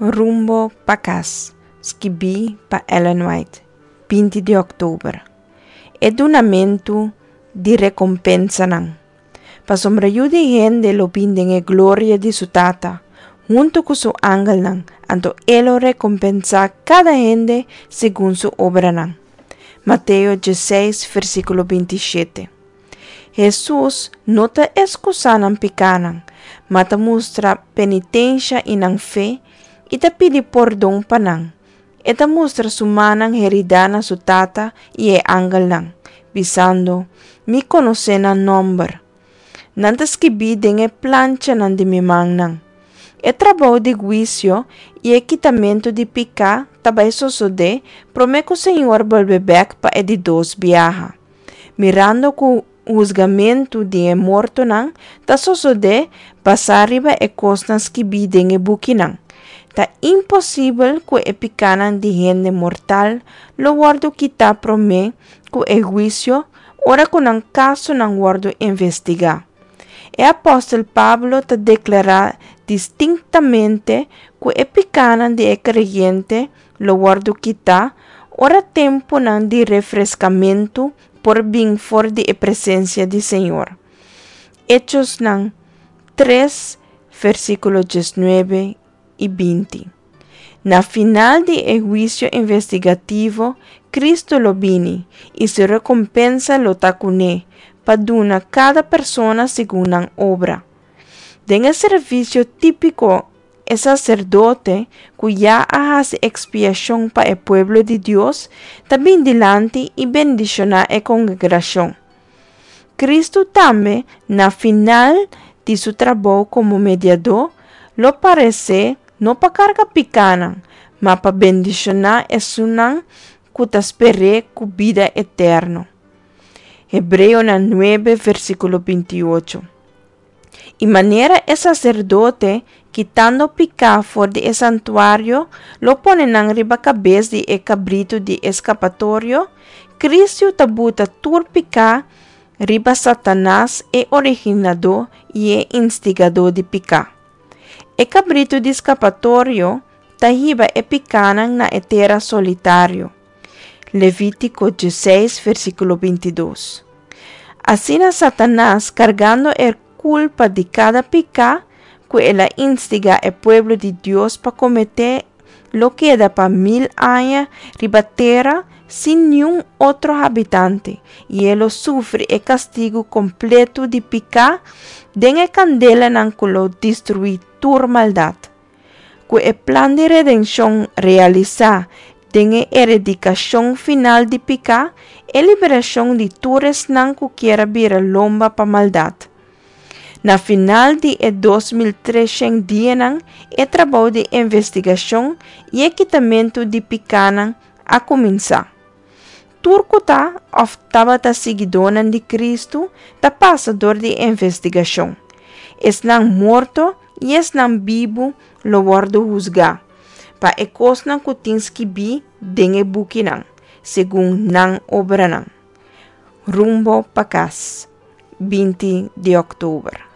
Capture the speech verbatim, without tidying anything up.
Rumbo pa kas, skibí pa Ellen White, binti di òktober. E dunamentu di rekompensanan. Pasobra Yu di hende lo bin den e gloria di su Tata, huntu ku su angelnan, anto e lo rekompensá kada hende segun su obranan. Mateo diesseis, versíkulo binti shete. Hesus no ta ekskusá nan pikánan, ma ta mustra penitensha i nan fe i ta pidi pordon pa nan. E ta mustra su mannan heridá na su Tata i e angelnan, bisando, Mi konosé nan nòmber. Nan ta skibí den e planchanan di mi mannan. E trabou di huisio i e kitamentu di piká ta bai sosodé promé ku Señor bolbe bèk pa e di dos biaha. Mirando ku husgamentu di e mortonan ta sosodé basá riba e kosnan skibí den e bukinan, ta imposibel ku e pikánan di hende mortal lo wòrdu kitá promé ku e huisio ora ku nan kasonan wòrdu investigá. E apòstel Pablo ta deklará distinktamente ku e pikánan di e kreyente lo wòrdu kitá ora tempunan di refreskamentu por bin for di e presensia di Señor. Echosnan tres, versíkulo diesnuebe i binti. Na final di e huisio investigativo, Kristu lo bini i su rekompensa lo ta kuné pa duna kada persona segun nan obra. Den e servisio típiko, e saserdote ku ya a hasi ekspiashon pa e pueblo di Dios ta bin dilanti i bendishoná e kongregashon. Kristu tambe, na final di su trabou komo mediadó, lo paresé no pa karga pikánan, ma pa bendishoná esunnan ku ta sper'é ku bida eterno. Hebreonan nuebe, versíkulo binti ocho. I manera e saserdote, kitando piká for di e santuario, lo pone nan riba kabes di e kabritu di eskapatorio, Kristu ta buta tur piká riba Satanas, e originadó i e instigadó di piká. E kabritu di skapatorio ta hiba e pikánan na e tera solitario. Levítiko diesseis, versíkulo binti dos. Asina Satanas, kargando e kulpa di kada piká ku el a instigá e pueblo di Dios pa kometé, lo keda pa mil aña riba tera sin niun otro habitante, i e lo sufri e kastigu kompleto di piká den e kandelanan ku lo destruí tur maldat. Ku e plan di redenshon realisá den e eradikashon final di piká, e liberashon di tur esnan ku kier a bira lomba pa maldat. Na final di e dos mil treshen dianan, e trabou di investigashon i e kitamentu di pikánan a kuminsá. Tur ku ta òf tabata siguidónan di Kristu ta pasa dor di e investigashon. Esnan morto i esnan bibu lo wòrdu husgá pa e kosnan ku tin skibí den e bukinan, segun nan obranan. Rumbo pa kas, binti di òktober.